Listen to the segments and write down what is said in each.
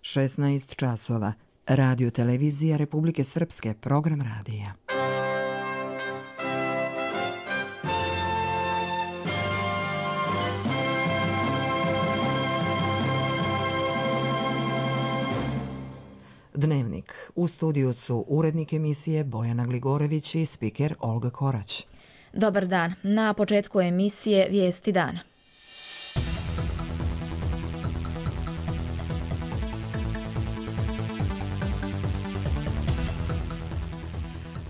16 časova. Radio televizija Republike Srpske, program radija. Dnevnik. U studiju su urednik emisije Bojana Gligorević i spiker Olga Korać. Dobar dan. Na početku emisije Vijesti dana.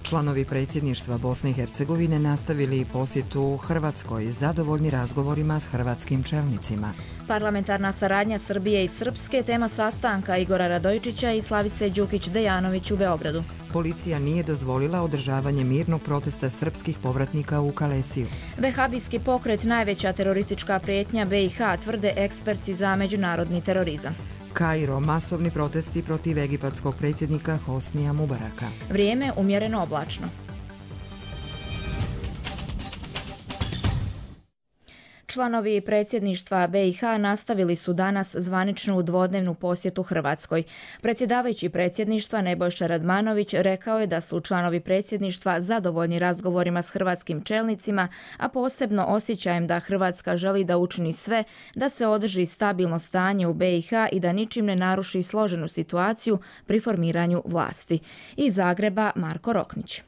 Članovi predsjedništva Bosne i Hercegovine nastavili posjetu Hrvatskoj, zadovoljni razgovorima s hrvatskim čelnicima. Parlamentarna saradnja Srbije i Srpske, tema sastanka Igora Radojčića i Slavice Đukić-Dejanović u Beogradu. Policija nije dozvolila održavanje mirnog protesta srpskih povratnika u Kalesiju. Vehabijski pokret najveća teroristička prijetnja BiH, tvrde eksperti za međunarodni terorizam. Kairo, masovni protesti protiv egipatskog predsjednika Hosnija Mubaraka. Vrijeme umjereno oblačno. Članovi predsjedništva BiH nastavili su danas zvaničnu dvodnevnu posjetu Hrvatskoj. Predsjedavajući predsjedništva Nebojša Radmanović rekao je da su članovi predsjedništva zadovoljni razgovorima s hrvatskim čelnicima, a posebno osjećajem da Hrvatska želi da učini sve da se održi stabilno stanje u BiH i da ničim ne naruši složenu situaciju pri formiranju vlasti. Iz Zagreba Marko Roknić.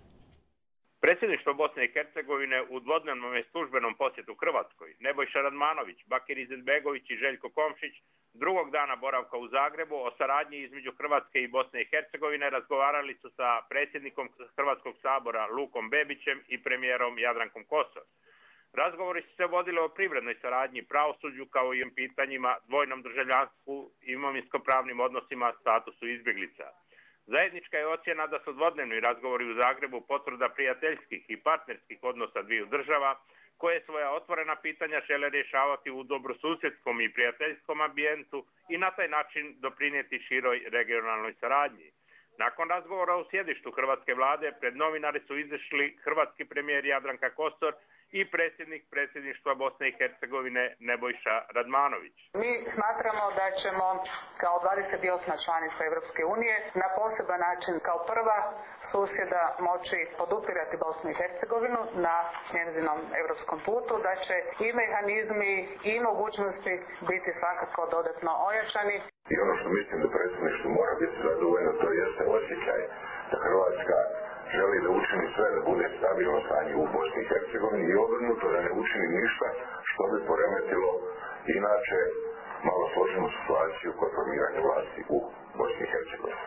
Predsjedništvo Bosne i Hercegovine u dvodnevnom je službenom posjetu Hrvatskoj. Nebojša Radmanović, Bakir Izetbegović i Željko Komšić drugog dana boravka u Zagrebu o saradnji između Hrvatske i Bosne i Hercegovine razgovarali su sa predsjednikom Hrvatskog sabora Lukom Bebićem i premijerom Jadrankom Kosor. Razgovori su se vodili o privrednoj saradnji, pravosuđu kao i o pitanjima dvojnom državljanstvu, imovinsko-pravnim odnosima, statusu izbjeglica. Zajednička je ocjena da su dvodnevni razgovori u Zagrebu potvrda prijateljskih i partnerskih odnosa dviju država, koje svoja otvorena pitanja žele rješavati u dobrosusjedskom i prijateljskom ambijentu i na taj način doprinijeti široj regionalnoj saradnji. Nakon razgovora u sjedištu hrvatske vlade, pred novinari su izašli hrvatski premijer Jadranka Kosor i predsjednik predsjedništva Bosne i Hercegovine Nebojša Radmanović. Mi smatramo da ćemo kao 28. članica Europske unije na poseban način kao prva susjeda moći podupirati Bosnu i Hercegovinu na njezinom europskom putu, da će i mehanizmi i mogućnosti biti svakako dodatno ojačani. I ono što mislim da predsjedništvo mora biti zadovoljno, to jeste osjećaj da Hrvatska želi da učini sve da bude stabilno stanje u Bosni i Hercegovini i obrnuto da ne učini ništa što bi poremetilo inače malo složenu situaciju kod formiranja vlasti u Bosni i Hercegovini.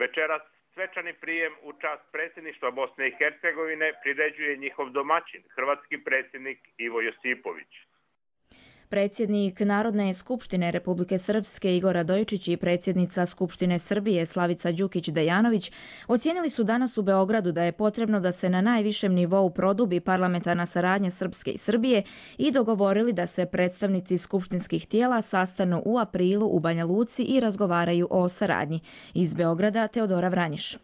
Večeras svečani prijem u čast predsjedništva Bosne i Hercegovine priređuje njihov domaćin, hrvatski predsjednik Ivo Josipović. Predsjednik Narodne skupštine Republike Srpske Igor Radojčić i predsjednica Skupštine Srbije Slavica Đukić-Dejanović ocijenili su danas u Beogradu da je potrebno da se na najvišem nivou produbi parlamentarna saradnja Srpske i Srbije i dogovorili da se predstavnici skupštinskih tijela sastanu u aprilu u Banja Luci i razgovaraju o saradnji. Iz Beograda Teodora Vranjiš.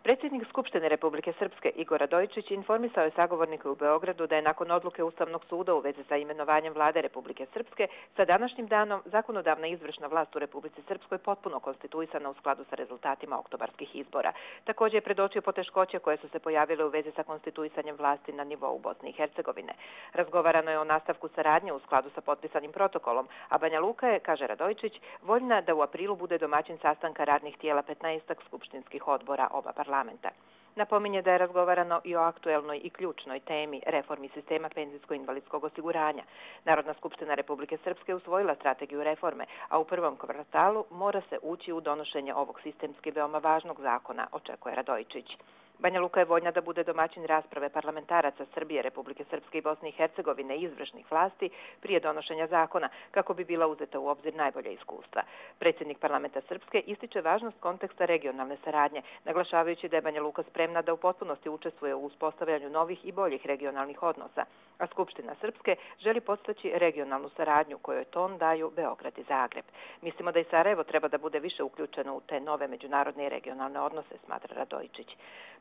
Predsjednik Skupštine Republike Srpske Igor Radojčić informisao je sagovornike u Beogradu da je nakon odluke Ustavnog suda u vezi sa imenovanjem vlade Republike Srpske sa današnjim danom zakonodavna izvršna vlast u Republici Srpskoj potpuno konstituisana u skladu sa rezultatima oktobarskih izbora. Također je predočio poteškoće koje su se pojavile u vezi sa konstituisanjem vlasti na nivou Bosne i Hercegovine. Razgovarano je o nastavku saradnje u skladu sa potpisanim protokolom, a Banja Luka je, kaže Radojčić, voljna da u aprilu bude domaćin sastanka radnih tijela 15 skupštinskih odbora oba parlamenta. Napominje da je razgovarano i o aktuelnoj i ključnoj temi reformi sistema penzijsko-invalidskog osiguranja. Narodna skupština Republike Srpske usvojila strategiju reforme, a u prvom kvartalu mora se ući u donošenje ovog sistemski veoma važnog zakona, očekuje Radojčić. Banja Luka je voljna da bude domaćin rasprave parlamentaraca Srbije, Republike Srpske i Bosne i Hercegovine i izvršnih vlasti prije donošenja zakona, kako bi bila uzeta u obzir najbolja iskustva. Predsjednik parlamenta Srpske ističe važnost konteksta regionalne saradnje, naglašavajući da je Banja Luka spremna da u potpunosti učestvuje u uspostavljanju novih i boljih regionalnih odnosa, a Skupština Srpske želi podstaći regionalnu saradnju kojoj ton daju Beograd i Zagreb. Mislimo da i Sarajevo treba da bude više uključeno u te nove međunarodne i regionalne odnose, smatra Radojčić.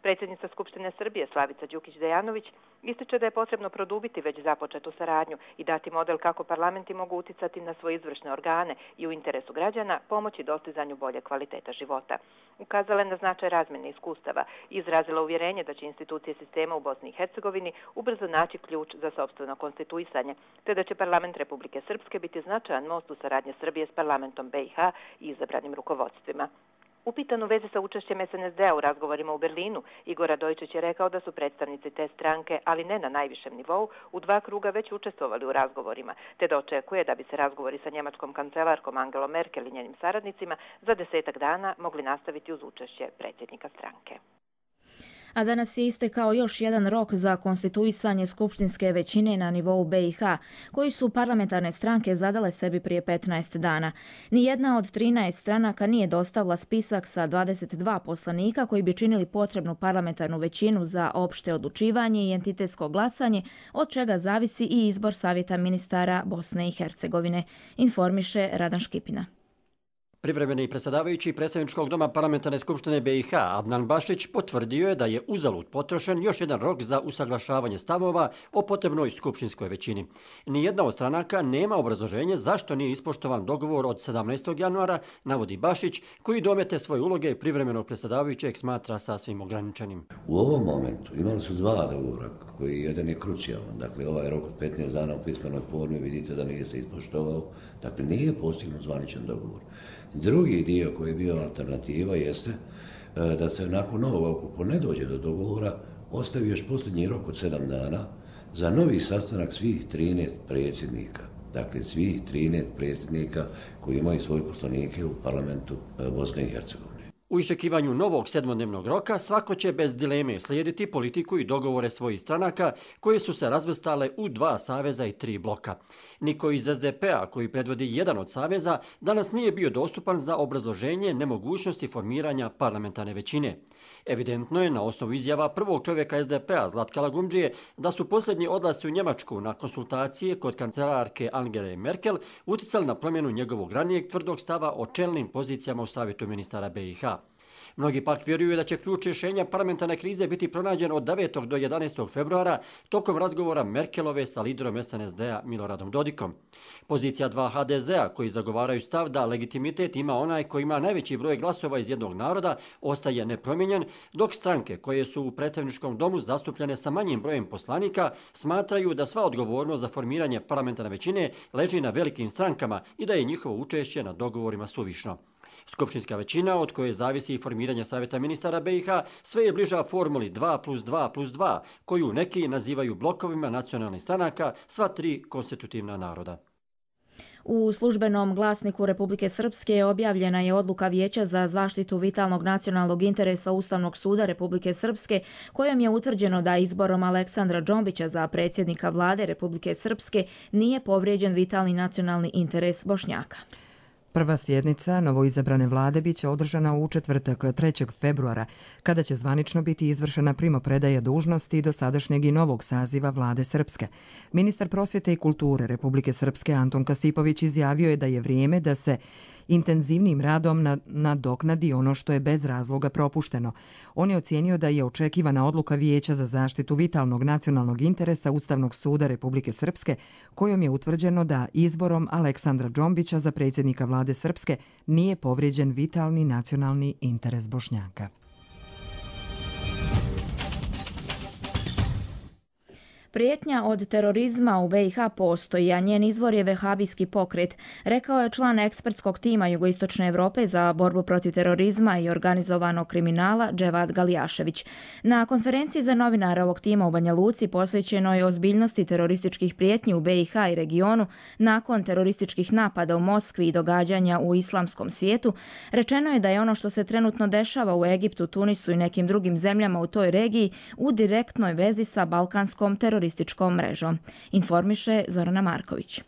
Predsjednica Skupštine Srbije Slavica Đukić-Dejanović ističe da je potrebno produbiti već započetu saradnju i dati model kako parlamenti mogu uticati na svoje izvršne organe i u interesu građana pomoći dostizanju bolje kvaliteta života. Ukazala je na značaj razmjene iskustava i izrazila uvjerenje da će institucije sistema u Bosni i Hercegovini ubrzo naći ključ za sopstveno konstituisanje, te da će parlament Republike Srpske biti značajan most u saradnje Srbije s parlamentom BiH i izabranim rukovodstvima. Upitan u vezi sa učešćem SNSD-a u razgovorima u Berlinu, Igor Radojičić je rekao da su predstavnici te stranke, ali ne na najvišem nivou, u 2 kruga već učestvovali u razgovorima, te da očekuje da bi se razgovori sa njemačkom kancelarkom Angelom Merkel i njenim saradnicima za 10 dana mogli nastaviti uz učešće predsjednika stranke. A danas je istekao još jedan rok za konstituisanje skupštinske većine na nivou BiH, koji su parlamentarne stranke zadale sebi prije 15 dana. Nijedna od 13 stranaka nije dostavila spisak sa 22 poslanika koji bi činili potrebnu parlamentarnu većinu za opšte odlučivanje i entitetsko glasanje, od čega zavisi i izbor Savjeta ministara Bosne i Hercegovine, informiše Radan Škipina. Privremeni predsjedavajući predsjedničkog doma parlamentarne skupštine BiH Adnan Bašić potvrdio je da je uzalud potrošen još jedan rok za usaglašavanje stavova o potrebnoj skupštinskoj većini. Nijedna od stranaka nema obrazloženje zašto nije ispoštovan dogovor od 17. januara, navodi Bašić, koji domete svoje uloge privremenog predsjedavajućeg smatra sasvim ograničenim. U ovom momentu imali su 2 dogovora, koji jedan je krucijalan. Dakle, ovaj rok od 15 dana u pismenoj formi vidite da nije se ispoštovao. Dakle, nije postignut zvaničan dogovor. Drugi dio koji je bio alternativa jeste da se nakon ovoga, ukoliko ne dođe do dogovora, ostavi još posljednji rok od 7 dana za novi sastanak svih 13 predsjednika. Dakle, svih 13 predsjednika koji imaju svoje poslanike u parlamentu Bosne i Hercegovine. U iščekivanju novog 7-dnevnog roka svako će bez dileme slijediti politiku i dogovore svojih stranaka koje su se razvrstale u 2 saveza i 3 bloka. Niko iz SDP-a, koji predvodi jedan od saveza, danas nije bio dostupan za obrazloženje nemogućnosti formiranja parlamentarne većine. Evidentno je na osnovu izjava prvog čovjeka SDP-a Zlatka Lagumdžije da su posljednji odlasci u Njemačku na konsultacije kod kancelarke Angele Merkel uticali na promjenu njegovog ranijeg tvrdog stava o čelnim pozicijama u Savjetu ministara BiH. Mnogi pak vjeruju da će ključ rješenja parlamentarne krize biti pronađen od 9. do 11. februara tokom razgovora Merkelove sa liderom SNSD-a Miloradom Dodikom. Pozicija 2 HDZ-a koji zagovaraju stav da legitimitet ima onaj koji ima najveći broj glasova iz jednog naroda ostaje nepromijenjen, dok stranke koje su u predstavničkom domu zastupljene sa manjim brojem poslanika smatraju da sva odgovornost za formiranje parlamentarne većine leži na velikim strankama i da je njihovo učešće na dogovorima suvišno. Skupštinska većina, od koje zavisi i formiranje Savjeta ministara BiH, sve je bliža formuli 2+2+2, koju neki nazivaju blokovima nacionalnih stranaka, sva 3 konstitutivna naroda. U službenom glasniku Republike Srpske objavljena je odluka Vijeća za zaštitu vitalnog nacionalnog interesa Ustavnog suda Republike Srpske, kojom je utvrđeno da izborom Aleksandra Džombića za predsjednika vlade Republike Srpske nije povrijeđen vitalni nacionalni interes Bošnjaka. Prva sjednica novoizabrane vlade biće održana u četvrtak 3. februara, kada će zvanično biti izvršena primopredaja dužnosti dosadašnjeg i novog saziva vlade Srpske. Ministar prosvjete i kulture Republike Srpske Anton Kasipović izjavio je da je vrijeme da se intenzivnim radom nadoknadi ono što je bez razloga propušteno. On je ocijenio da je očekivana odluka Vijeća za zaštitu vitalnog nacionalnog interesa Ustavnog suda Republike Srpske, kojom je utvrđeno da izborom Aleksandra Džombića za predsjednika vlade Srpske nije povrijeđen vitalni nacionalni interes Bošnjaka. Prijetnja od terorizma u BiH postoji, a njen izvor je vehabijski pokret, rekao je član ekspertskog tima Jugoistočne Europe za borbu protiv terorizma i organizovanog kriminala Dževad Galijašević. Na konferenciji za novinare ovog tima u Banja Luci posvećenoj ozbiljnosti terorističkih prijetnji u BiH i regionu nakon terorističkih napada u Moskvi i događanja u islamskom svijetu, rečeno je da je ono što se trenutno dešava u Egiptu, Tunisu i nekim drugim zemljama u toj regiji u direktnoj vezi sa balkanskom terorističkom mrežom, informiše Zorana Marković.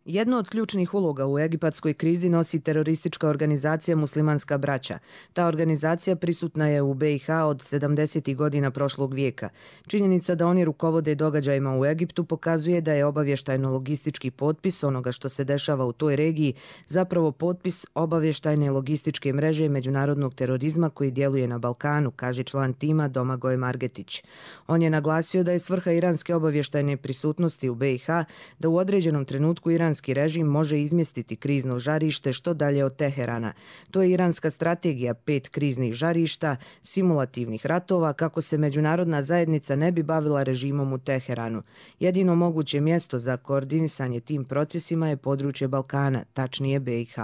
Jednu od ključnih uloga u egipatskoj krizi nosi teroristička organizacija Muslimanska braća. Ta organizacija prisutna je u BiH od 70. godina prošlog vijeka. Činjenica da oni rukovode događajima u Egiptu pokazuje da je obavještajno-logistički potpis onoga što se dešava u toj regiji zapravo potpis obavještajne logističke mreže međunarodnog terorizma koji djeluje na Balkanu, kaže član tima Domagoj Margetić. On je naglasio da je svrha iranske obavještajne prisutnosti u BiH da u određenom trenutku iranski režim može izmjestiti krizno žarište što dalje od Teherana. To je iranska strategija 5 kriznih žarišta, simulativnih ratova kako se međunarodna zajednica ne bi bavila režimom u Teheranu. Jedino moguće mjesto za koordinisanje tim procesima je područje Balkana, tačnije BiH.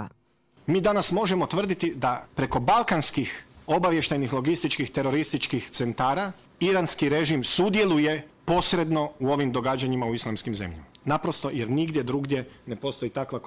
Mi danas možemo tvrditi da preko balkanskih obavještajnih logističkih terorističkih centara iranski režim sudjeluje posredno u ovim događanjima u islamskim zemljama. Naprosto jer nigdje drugdje ne postoji takva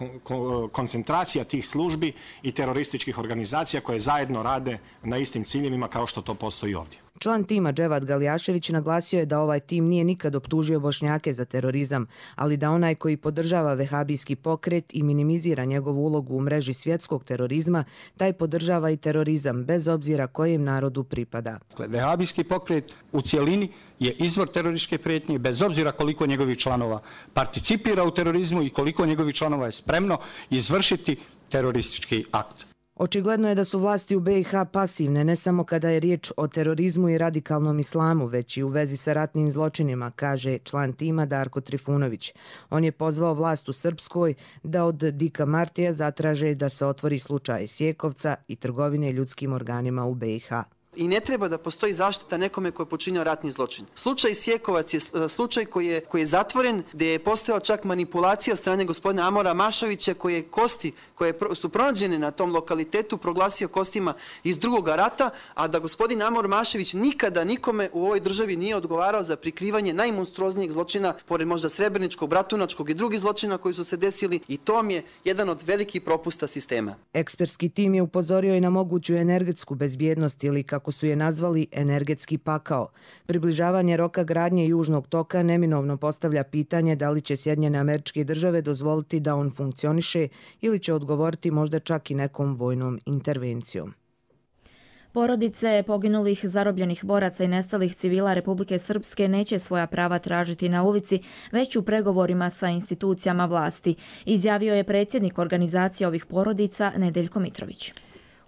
koncentracija tih službi i terorističkih organizacija koje zajedno rade na istim ciljevima kao što to postoji ovdje. Član tima Dževad Galjašević naglasio je da ovaj tim nije nikad optužio Bošnjake za terorizam, ali da onaj koji podržava vehabijski pokret i minimizira njegovu ulogu u mreži svjetskog terorizma, taj podržava i terorizam, bez obzira kojem narodu pripada. Vehabijski pokret u cjelini je izvor terorističke prijetnje, bez obzira koliko njegovih članova participira u terorizmu i koliko njegovih članova je spremno izvršiti teroristički akt. Očigledno je da su vlasti u BiH pasivne ne samo kada je riječ o terorizmu i radikalnom islamu, već i u vezi sa ratnim zločinima, kaže član tima Darko Trifunović. On je pozvao vlast u Srpskoj da od Dika Martija zatraže da se otvori slučaj Sjekovca i trgovine ljudskim organima u BiH. I ne treba da postoji zaštita nekome koji je počinio ratni zločin. Slučaj Sjekovac je slučaj koji je zatvoren, gdje je postojala čak manipulacija od strane gospodina Amora Mašovića, koje kosti koje su pronađene na tom lokalitetu proglasio kostima iz drugog rata, a da gospodin Amor Mašević nikada nikome u ovoj državi nije odgovarao za prikrivanje najmonstruoznijeg zločina, pored možda Srebreničkog, Bratunačkog i drugih zločina koji su se desili, i to vam je jedan od velikih propusta sistema. Ekspertski tim je upozorio i na moguću energetsku bezbjednost ili kako su je nazvali energetski pakao. Približavanje roka gradnje Južnog toka neminovno postavlja pitanje da li će Sjedinjene Američke Države dozvoliti da on funkcioniše ili će odgovoriti možda čak i nekom vojnom intervencijom. Porodice poginulih, zarobljenih boraca i nestalih civila Republike Srpske neće svoja prava tražiti na ulici, već u pregovorima sa institucijama vlasti, izjavio je predsjednik organizacije ovih porodica Nedeljko Mitrović.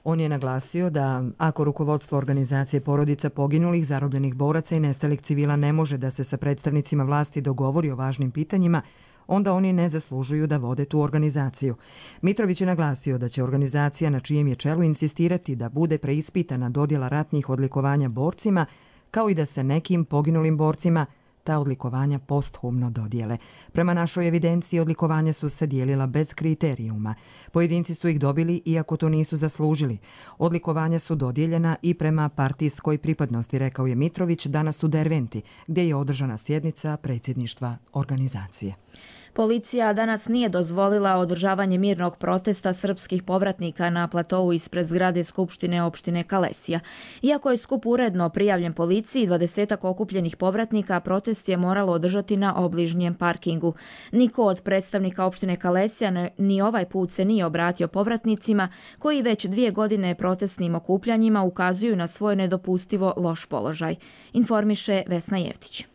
On je naglasio da ako rukovodstvo organizacije porodica poginulih, zarobljenih boraca i nestalih civila ne može da se sa predstavnicima vlasti dogovori o važnim pitanjima, onda oni ne zaslužuju da vode tu organizaciju. Mitrović je naglasio da će organizacija na čijem je čelu insistirati da bude preispitana dodjela ratnih odlikovanja borcima, kao i da se nekim poginulim borcima ta odlikovanja posthumno dodijele. Prema našoj evidenciji odlikovanja su se dijelila bez kriterijuma. Pojedinci su ih dobili iako to nisu zaslužili. Odlikovanja su dodijeljena i prema partijskoj pripadnosti, rekao je Mitrović danas u Derventi, gdje je održana sjednica predsjedništva organizacije. Policija danas nije dozvolila održavanje mirnog protesta srpskih povratnika na platovu ispred zgrade Skupštine opštine Kalesija. Iako je skup uredno prijavljen policiji, 20 okupljenih povratnika protest je moralo održati na obližnjem parkingu. Niko od predstavnika opštine Kalesija ni ovaj put se nije obratio povratnicima koji već 2 godine protestnim okupljanjima ukazuju na svoj nedopustivo loš položaj, informiše Vesna Jevtić.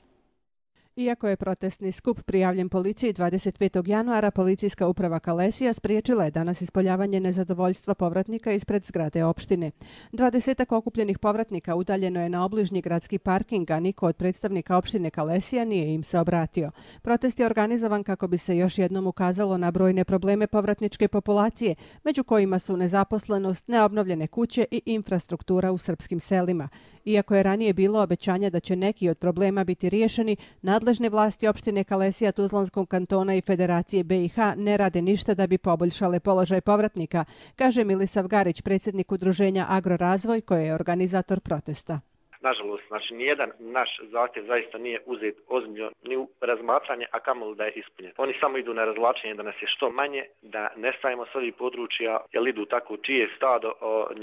Iako je protestni skup prijavljen policiji 25. januara, policijska uprava Kalesija spriječila je danas ispoljavanje nezadovoljstva povratnika ispred zgrade opštine. 20 okupljenih povratnika udaljeno je na obližnji gradski parking, a niko od predstavnika opštine Kalesija nije im se obratio. Protest je organizovan kako bi se još jednom ukazalo na brojne probleme povratničke populacije, među kojima su nezaposlenost, neobnovljene kuće i infrastruktura u srpskim selima. Iako je ranije bilo obećanja da će neki od problema biti riješeni, nadležne vlasti opštine Kalesija, Tuzlanskog kantona i Federacije BiH ne rade ništa da bi poboljšale položaj povratnika, kaže Milisav Garić, predsjednik udruženja Agrorazvoj, koji je organizator protesta. Nažalost, znači nijedan naš zahtjev zaista nije uzet ozbiljno ni u razmatranje, a kamoli da je ispunjen. Oni samo idu na razvlačenje da nas je što manje, da nestajemo s ovih područja, jer idu tako čije stado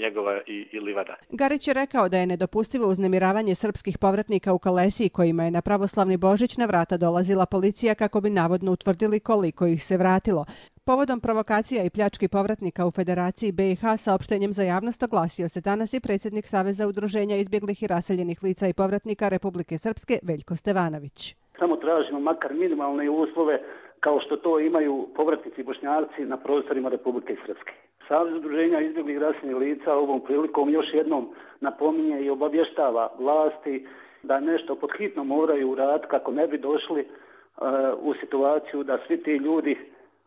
njegova i livada. Garić je rekao da je nedopustivo uznemiravanje srpskih povratnika u Kalesiji kojima je na pravoslavni Božić na vrata dolazila policija kako bi navodno utvrdili koliko ih se vratilo. Povodom provokacija i pljački povratnika u Federaciji BiH saopštenjem za javnost oglasio se danas i predsjednik Saveza udruženja izbjeglih i raseljenih lica i povratnika Republike Srpske Veljko Stevanović. Samo tražimo makar minimalne uslove kao što to imaju povratnici Bošnjaci na prostorima Republike Srpske. Savez udruženja izbjeglih i raseljenih lica ovom prilikom još jednom napominje i obavještava vlasti da nešto pod hitno moraju uraditi kako ne bi došli u situaciju da svi ti ljudi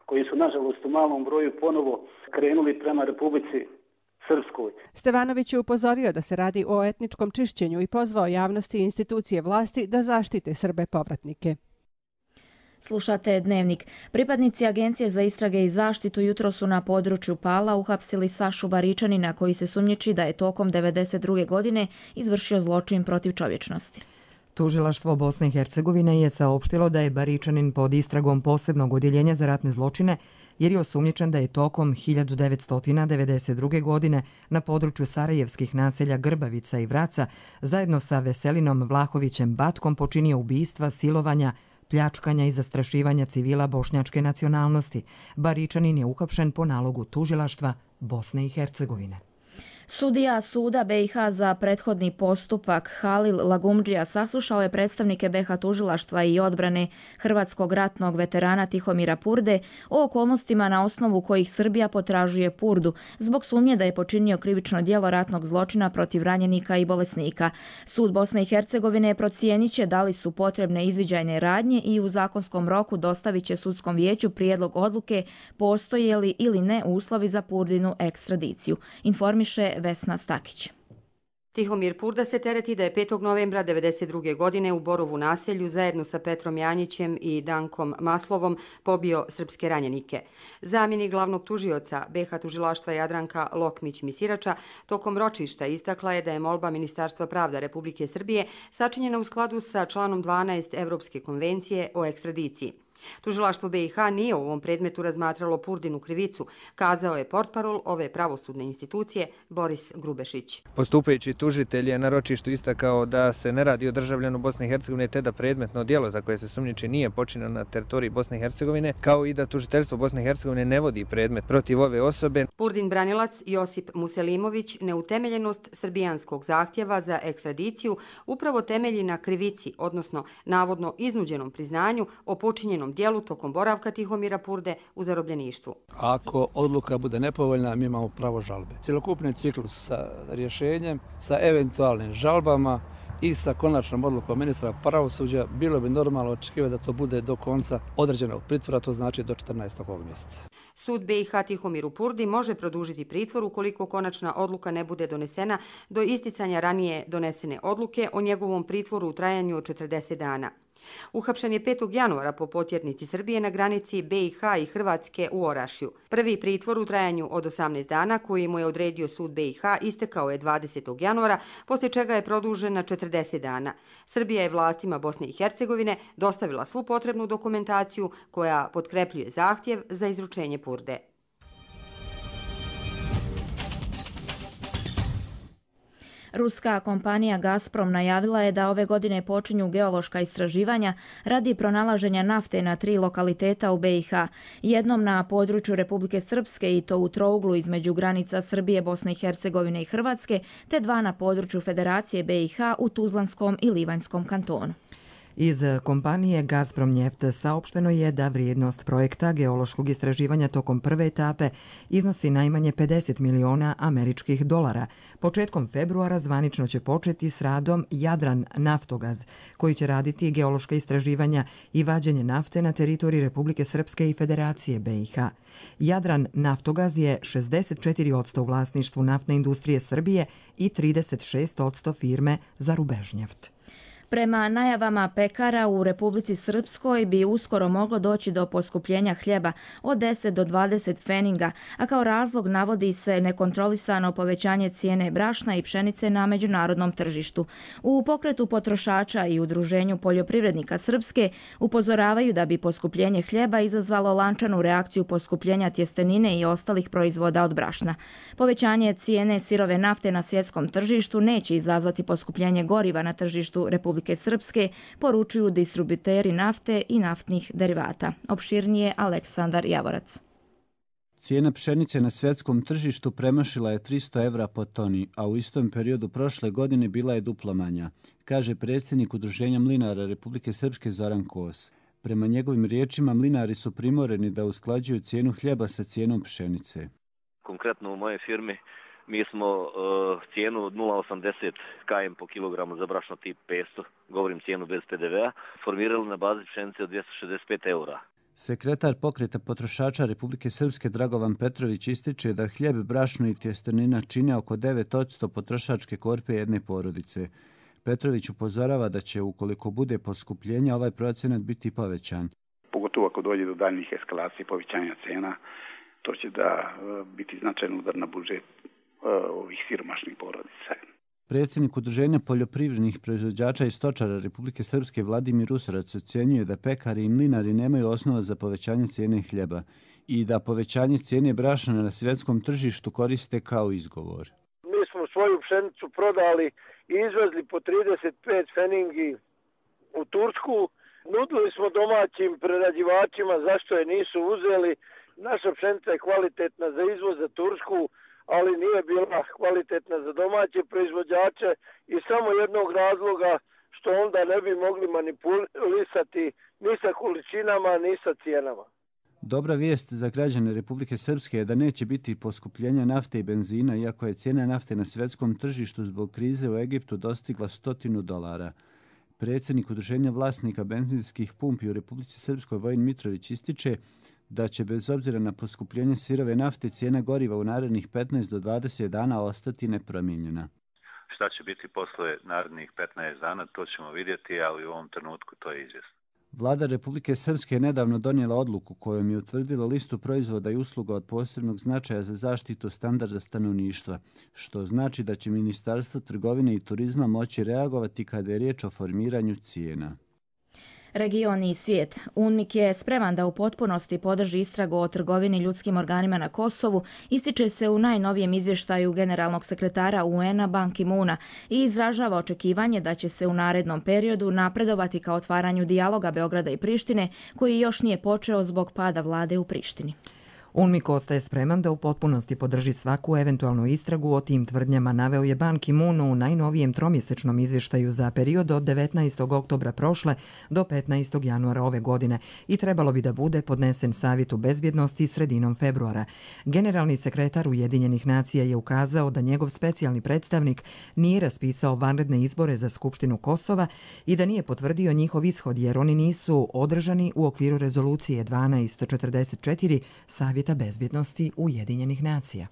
koji su nažalost u malom broju ponovo krenuli prema Republici Srpskoj. Stevanović je upozorio da se radi o etničkom čišćenju i pozvao javnosti i institucije vlasti da zaštite Srbe povratnike. Slušate Dnevnik. Pripadnici Agencije za istrage i zaštitu jutro su na području Pala uhapsili Sašu Baričanina koji se sumnjiči da je tokom 1992. godine izvršio zločin protiv čovječnosti. Tužilaštvo Bosne i Hercegovine je saopštilo da je Baričanin pod istragom posebnog odjeljenja za ratne zločine jer je osumnjičen da je tokom 1992. godine na području sarajevskih naselja Grbavica i Vraca zajedno sa Veselinom Vlahovićem Batkom počinio ubistva, silovanja, pljačkanja i zastrašivanja civila bošnjačke nacionalnosti. Baričanin je uhapšen po nalogu tužilaštva Bosne i Hercegovine. Sudija Suda BiH za prethodni postupak Halil Lagumdžija saslušao je predstavnike BiH tužilaštva i odbrane hrvatskog ratnog veterana Tihomira Purde o okolnostima na osnovu kojih Srbija potražuje Purdu zbog sumnje da je počinio krivično djelo ratnog zločina protiv ranjenika i bolesnika. Sud Bosne i Hercegovine procijenit će da li su potrebne izviđajne radnje i u zakonskom roku dostavit će sudskom vijeću prijedlog odluke postoje li ili ne uslovi za Purdinu ekstradiciju. Informiše Vesna Stakić. Tihomir Purda se tereti da je 5. novembra 1992. godine u Borovu naselju zajedno sa Petrom Janjićem i Dankom Maslovom pobio srpske ranjenike. Zamjenik glavnog tužioca BiH tužilaštva Jadranka Lokmić-Misirača tokom ročišta istakla je da je molba Ministarstva pravda Republike Srbije sačinjena u skladu sa članom 12 Evropske konvencije o ekstradiciji. Tužilaštvo BiH nije u ovom predmetu razmatralo Purdinu krivicu, kazao je portparol ove pravosudne institucije Boris Grubešić. Postupajući tužitelj je na ročištu istakao da se ne radi o državljanu Bosne i Hercegovine te da predmetno djelo za koje se sumnjiči nije počinjeno na teritoriji Bosne i Hercegovine, kao i da tužiteljstvo Bosne i Hercegovine ne vodi predmet protiv ove osobe. Purdin branilac Josip Muselimović neutemeljenost srbijanskog zahtjeva za ekstradiciju upravo temelji na krivici, odnosno navodno iznuđenom priznanju o počinjenom dijelu tokom boravka Tihomira Purde u zarobljeništvu. Ako odluka bude nepovoljna, mi imamo pravo žalbe. Cjelokupni ciklus sa rješenjem, sa eventualnim žalbama i sa konačnom odlukom ministra pravosuđa bilo bi normalno očekivati da to bude do konca određenog pritvora, to znači do 14. ovog mjeseca. Sud BiH Tihomiru Purdi može produžiti pritvor ukoliko konačna odluka ne bude donesena do isticanja ranije donesene odluke o njegovom pritvoru u trajanju od 40 dana. Uhapšen je 5. januara po potjernici Srbije na granici BiH i Hrvatske u Orašju. Prvi pritvor u trajanju od 18 dana koji mu je odredio sud BiH istekao je 20. januara, poslije čega je produžen na 40 dana. Srbija je vlastima Bosne i Hercegovine dostavila svu potrebnu dokumentaciju koja potkrepljuje zahtjev za izručenje Purde. Ruska kompanija Gazprom najavila je da ove godine počinju geološka istraživanja radi pronalaženja nafte na 3 lokaliteta u BiH, jednom na području Republike Srpske i to u trouglu između granica Srbije, Bosne i Hercegovine i Hrvatske, te 2 na području Federacije BiH u Tuzlanskom i Livanjskom kantonu. Iz kompanije Gazprom Njeft saopšteno je da vrijednost projekta geološkog istraživanja tokom prve etape iznosi najmanje 50 miliona američkih dolara. Početkom februara zvanično će početi s radom Jadran Naftogaz, koji će raditi geološka istraživanja i vađenje nafte na teritoriji Republike Srpske i Federacije BiH. Jadran Naftogaz je 64% u vlasništvu naftne industrije Srbije i 36% firme za Rubežnjeft. Prema najavama pekara u Republici Srpskoj bi uskoro moglo doći do poskupljenja hljeba od 10 do 20 pfeninga, a kao razlog navodi se nekontrolisano povećanje cijene brašna i pšenice na međunarodnom tržištu. U pokretu potrošača i udruženju poljoprivrednika Srpske upozoravaju da bi poskupljenje hljeba izazvalo lančanu reakciju poskupljenja tjestenine i ostalih proizvoda od brašna. Povećanje cijene sirove nafte na svjetskom tržištu neće izazvati poskupljenje goriva na tržištu Republike Srpske, poručuju distributeri nafte i naftnih derivata. Opširnije Aleksandar Javorac. Cijena pšenice na svjetskom tržištu premašila je 300 evra po toni, a u istom periodu prošle godine bila je duplo manja, kaže predsjednik Udruženja mlinara Republike Srpske Zoran Kos. Prema njegovim riječima, mlinari su primoreni da usklađuju cijenu hljeba sa cijenom pšenice. Konkretno u moje firmi mi smo cijenu od 0,80 km po kilogramu za brašno tip 500, govorim cijenu bez PDV-a, formirali na bazi pšenice od 265 eura. Sekretar pokreta potrošača Republike Srpske Dragovan Petrović ističe da hljeb, brašno i tjestenina čine oko 9% potrošačke korpe jedne porodice. Petrović upozorava da će, ukoliko bude poskupljenja, ovaj procenat biti povećan. Pogotovo ako dođe do daljnjih eskalacija i povećanja cena, to će da biti značajan udar na budžet ovih siromašnih porodica. Predsjednik Udruženja poljoprivrednih proizvođača i stočara Republike Srpske Vladimir Usarac ocjenjuje da pekari i mlinari nemaju osnova za povećanje cijene hljeba i da povećanje cijene brašna na svjetskom tržištu koriste kao izgovor. Mi smo svoju pšenicu prodali i izvezli po 35 pfeningi u Tursku. Nudili smo domaćim prerađivačima zašto je nisu uzeli. Naša pšenica je kvalitetna za izvoz za Tursku, ali nije bila kvalitetna za domaće proizvođače i samo jednog razloga što onda ne bi mogli manipulisati ni sa količinama, ni sa cijenama. Dobra vijest za građane Republike Srpske je da neće biti poskupljenja nafte i benzina, iako je cijena nafte na svjetskom tržištu zbog krize u Egiptu dostigla $100. Predsjednik Udruženja vlasnika benzinskih pumpi u Republici Srpskoj Vojin Mitrović ističe da će bez obzira na poskupljenje sirove nafte cijena goriva u narednih 15 do 20 dana ostati nepromijenjena. Šta će biti posle narednih 15 dana, to ćemo vidjeti, ali u ovom trenutku to je izvjesno. Vlada Republike Srpske je nedavno donijela odluku kojom je utvrdila listu proizvoda i usluga od posebnog značaja za zaštitu standarda stanovništva, što znači da će Ministarstvo trgovine i turizma moći reagovati kada je riječ o formiranju cijena. Region i svijet. UNMIK je spreman da u potpunosti podrži istragu o trgovini ljudskim organima na Kosovu, ističe se u najnovijem izvještaju generalnog sekretara UN-a Ban Ki-moona i izražava očekivanje da će se u narednom periodu napredovati ka otvaranju dijaloga Beograda i Prištine, koji još nije počeo zbog pada vlade u Prištini. UNMIK ostaje spreman da u potpunosti podrži svaku eventualnu istragu o tim tvrdnjama, naveo je Ban Ki-moon u najnovijem tromjesečnom izvještaju za period od 19. oktobra prošle do 15. januara ove godine i trebalo bi da bude podnesen Savjetu bezbjednosti sredinom februara. Generalni sekretar Ujedinjenih nacija je ukazao da njegov specijalni predstavnik nije raspisao vanredne izbore za Skupštinu Kosova i da nije potvrdio njihov ishod jer oni nisu održani u okviru rezolucije 1244 Savjeta bezbjednosti Ujedinjenih nacija.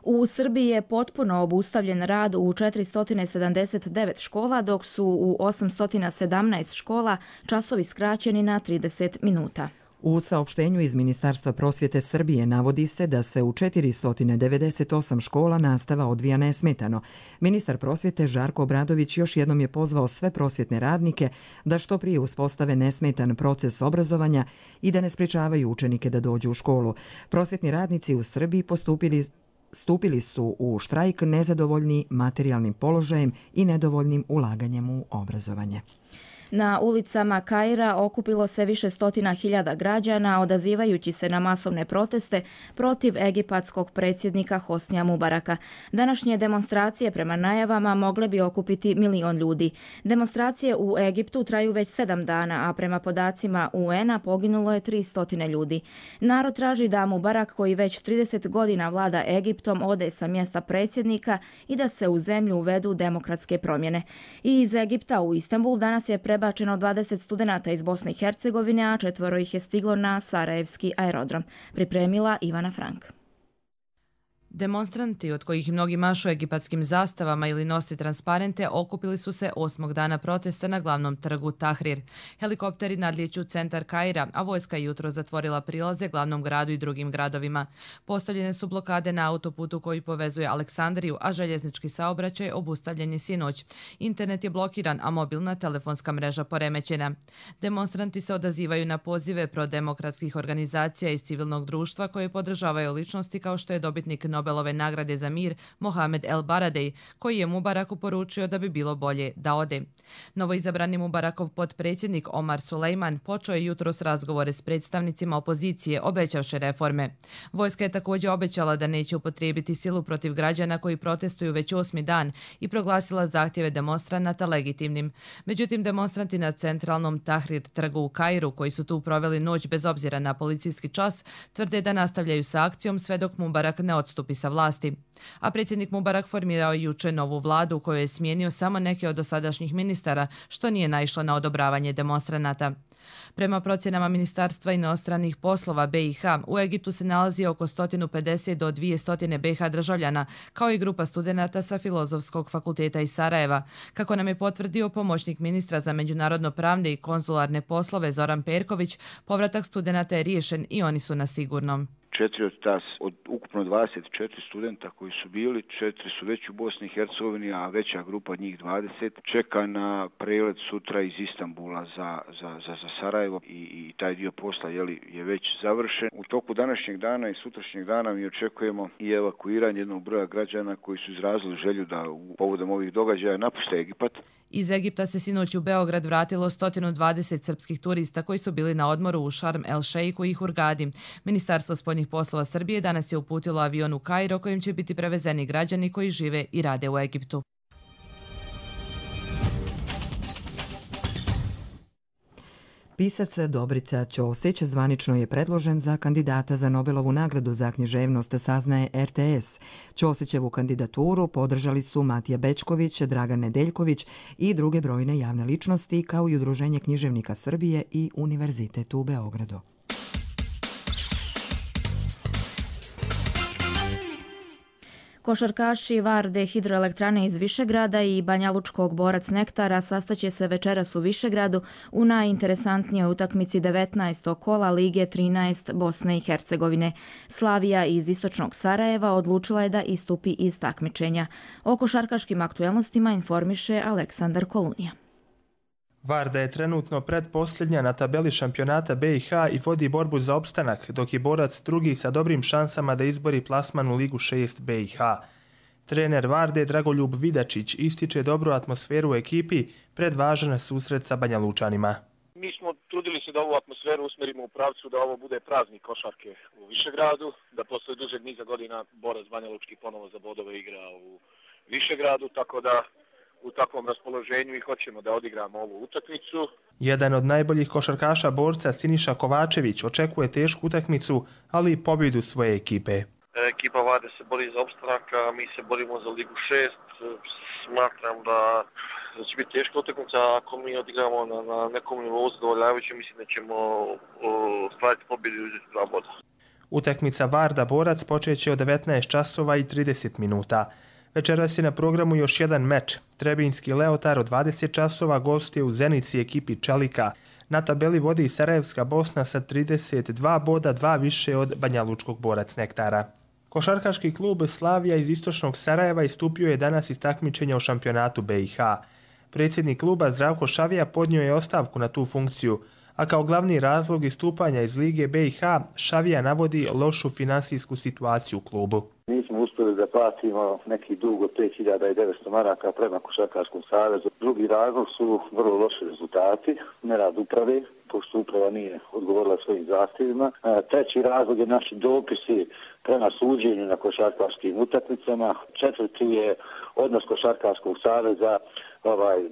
U Srbiji je potpuno obustavljen rad u 479 škola, dok su u 817 škola časovi skraćeni na 30 minuta. U saopštenju iz Ministarstva prosvjete Srbije navodi se da se u 498 škola nastava odvija nesmetano. Ministar prosvjete Žarko Obradović još jednom je pozvao sve prosvjetne radnike da što prije uspostave nesmetan proces obrazovanja i da ne sprečavaju učenike da dođu u školu. Prosvjetni radnici u Srbiji stupili su u štrajk nezadovoljni materijalnim položajem i nedovoljnim ulaganjem u obrazovanje. Na ulicama Kaira okupilo se više stotina hiljada građana odazivajući se na masovne proteste protiv egipatskog predsjednika Hosnija Mubaraka. Današnje demonstracije prema najavama mogle bi okupiti 1 milion ljudi. Demonstracije u Egiptu traju već 7 dana, a prema podacima UN-a poginulo je 300 ljudi. Narod traži da Mubarak, koji već 30 godina vlada Egiptom, ode sa mjesta predsjednika i da se u zemlju uvedu demokratske promjene. I iz Egipta u Istanbul danas je prebačeno 20 studenata iz Bosne i Hercegovine, a 4 ih je stiglo na Sarajevski aerodrom. Pripremila Ivana Frank. Demonstranti, od kojih mnogi mašu egipatskim zastavama ili nose transparente, okupili su se 8. dana protesta na glavnom trgu Tahrir. Helikopteri nadlijeću centar Kaira, a vojska je jutro zatvorila prilaze glavnom gradu i drugim gradovima. Postavljene su blokade na autoputu koji povezuje Aleksandriju, a željeznički saobraćaj obustavljen je sinoć. Internet je blokiran, a mobilna telefonska mreža poremećena. Demonstranti se odazivaju na pozive prodemokratskih organizacija iz civilnog društva koje podržavaju ličnosti kao što je dobitnik Nobelove nagrade za mir Mohamed El Baradei, koji je Mubaraku poručio da bi bilo bolje da ode. Novoizabrani Mubarakov potpredsjednik Omar Sulejman počeo je jutros razgovore s predstavnicima opozicije, obećavši reforme. Vojska je također obećala da neće upotrijebiti silu protiv građana koji protestuju već 8. dan i proglasila zahtjeve demonstranata legitimnim. Međutim, demonstranti na centralnom Tahrir trgu u Kairu, koji su tu proveli noć bez obzira na policijski čas, tvrde da nastavljaju sa akcijom sve dok Mubarak ne odstupi sa vlasti. A predsjednik Mubarak formirao juče novu vladu u kojoj je smijenio samo neke od dosadašnjih ministara, što nije naišlo na odobravanje demonstranata. Prema procjenama Ministarstva inostranih poslova BiH, u Egiptu se nalazi oko 150 do 200 BiH državljana, kao i grupa studenata sa Filozofskog fakulteta iz Sarajeva. Kako nam je potvrdio pomoćnik ministra za međunarodno-pravne i konzularne poslove Zoran Perković, povratak studenata je riješen i oni su na sigurnom. 4 od ukupno 24 studenta koji su bili, 4 su već u Bosni i Hercegovini, a veća grupa od njih 20 čeka na prelet sutra iz Istanbula za Sarajevo i taj dio posla je već završen. U toku današnjeg dana i sutrašnjeg dana mi očekujemo i evakuiranje jednog broja građana koji su izrazili želju da povodom ovih događaja napuste Egipat. Iz Egipta se sinoć u Beograd vratilo 120 srpskih turista koji su bili na odmoru u Šarm el Šeiku i Hurgadi. Ministarstvo spoljnih poslova Srbije danas je uputilo avion u Kairo kojim će biti prevezeni građani koji žive i rade u Egiptu. Pisac Dobrica Ćosić zvanično je predložen za kandidata za Nobelovu nagradu za književnost, saznaje RTS. Ćosićevu kandidaturu podržali su Matija Bečković, Dragan Nedeljković i druge brojne javne ličnosti, kao i Udruženje književnika Srbije i Univerzitet u Beogradu. Košarkaši Varde hidroelektrane iz Višegrada i banjalučkog Borac Nektara sastaće se večeras u Višegradu u najinteresantnijoj utakmici 19. kola Lige 13 Bosne i Hercegovine. Slavija iz istočnog Sarajeva odlučila je da istupi iz takmičenja. O košarkaškim aktuelnostima informiše Aleksandar Kolunija. Varda je trenutno predposljednja na tabeli šampionata BiH i vodi borbu za opstanak, dok je Borac drugi sa dobrim šansama da izbori plasman u Ligu 6 BiH. Trener Varde Dragoljub Vidačić ističe dobru atmosferu u ekipi pred važan susret sa Banjalučanima. Mi smo trudili se da ovu atmosferu usmerimo u pravcu da ovo bude praznik košarke u Višegradu, da posle dužeg niza godina Borac Banjalučki ponovo za bodove igra u Višegradu, tako da u takvom raspoloženju i hoćemo da odigramo ovu utakmicu. Jedan od najboljih košarkaša Borca, Siniša Kovačević, očekuje tešku utakmicu, ali i pobjedu svoje ekipe. Ekipa Varde se bori za opstanak, a mi se borimo za Ligu 6. Smatram da će biti teška utakmica, ako mi odigramo na nekom nivou zadovoljavajućem, mislim da ćemo ostvariti pobjedu i uzeti 2 boda. Utakmica Varda Borac počeće od 19 časova i 30 minuta. Večeras je na programu još jedan meč. Trebinjski Leotar od 20 časova gostuje u Zenici ekipi Čelika. Na tabeli vodi Sarajevska Bosna sa 32 boda, 2 više od banjalučkog Borac Nektara. Košarkaški klub Slavija iz istočnog Sarajeva istupio je danas iz takmičenja u šampionatu BiH. Predsjednik kluba Zdravko Šavija podnio je ostavku na tu funkciju, a kao glavni razlog istupanja iz Lige BiH Šavija navodi lošu finansijsku situaciju u klubu. Nismo uspjeli da platimo neki dug od 5.900 maraka prema Košarkaškom savezu. Drugi razlog su vrlo loši rezultati, nerad uprave, pošto uprava nije odgovorila svojim zahtjevima. Treći razlog je naši dopisi prema suđenju na košarkaškim utakmicama. Četvrti je odnos Košarkaškog saveza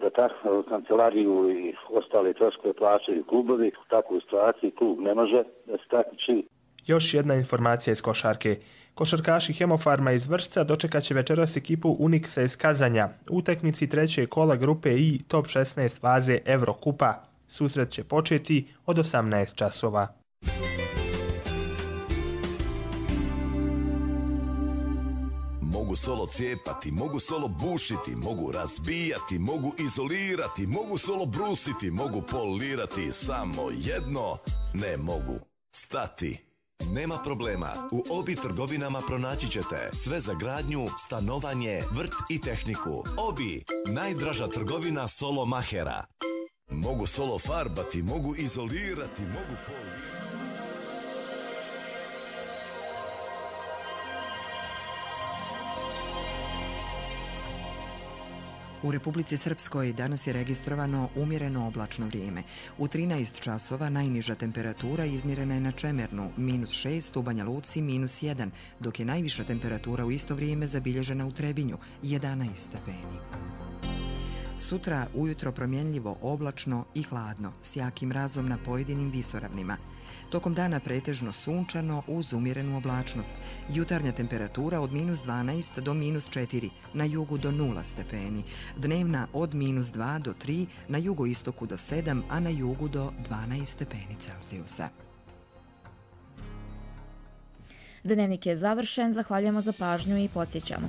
da kancelariju i ostale troškove plaćaju klubovi. U takvoj situaciji klub ne može da se takmiči. Još jedna informacija iz košarke. Košarkaši Hemofarma iz Vršca dočekat će večeras ekipu Uniksa iz Kazanja u utakmici treće kola grupe I top 16 faze Evrokupa. Susret će početi od 18 časova. Mogu solo cijepati, mogu solo bušiti, mogu razbijati, mogu izolirati, mogu solo brusiti, mogu polirati, samo jedno ne mogu. Stati. Nema problema, u Obi trgovinama pronaći ćete sve za gradnju, stanovanje, vrt i tehniku. Obi, najdraža trgovina solo mahera. Mogu solo farbati, mogu izolirati, mogu polirati. U Republici Srpskoj danas je registrovano umjereno oblačno vrijeme. U 13 časova najniža temperatura izmjerena je na Čemernu, -6, u Banja Luci -1, dok je najviša temperatura u isto vrijeme zabilježena u Trebinju, 11 stepeni. Sutra ujutro promjenljivo, oblačno i hladno, s jakim mrazom na pojedinim visoravnima. Tokom dana pretežno sunčano uz umjerenu oblačnost. Jutarnja temperatura od -12 do -4, na jugu do 0 stepeni. Dnevna od -2 do 3, na jugoistoku do 7, a na jugu do 12 stepeni Celzijusa. Dnevnik je završen, zahvaljujemo za pažnju i podsjećamo.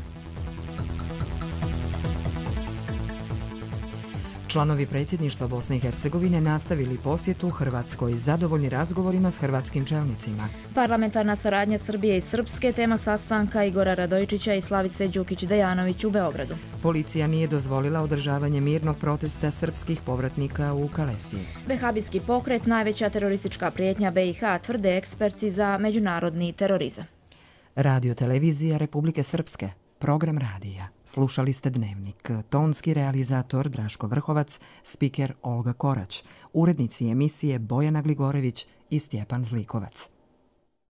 Članovi predsjedništva Bosne i Hercegovine nastavili posjetu Hrvatskoj, zadovoljni razgovorima s hrvatskim čelnicima. Parlamentarna saradnja Srbije i Srpske, tema sastanka Igora Radojičića i Slavice Đukić-Dejanović u Beogradu. Policija nije dozvolila održavanje mirnog protesta srpskih povratnika u Kalesiji. Vehabijski pokret, najveća teroristička prijetnja BiH, tvrde eksperti za međunarodni terorizam. Radio televizija Republike Srpske. Program radija. Slušali ste Dnevnik. Tonski realizator Draško Vrhovac, spiker Olga Korać, urednici emisije Bojana Gligorević i Stjepan Zlikovac.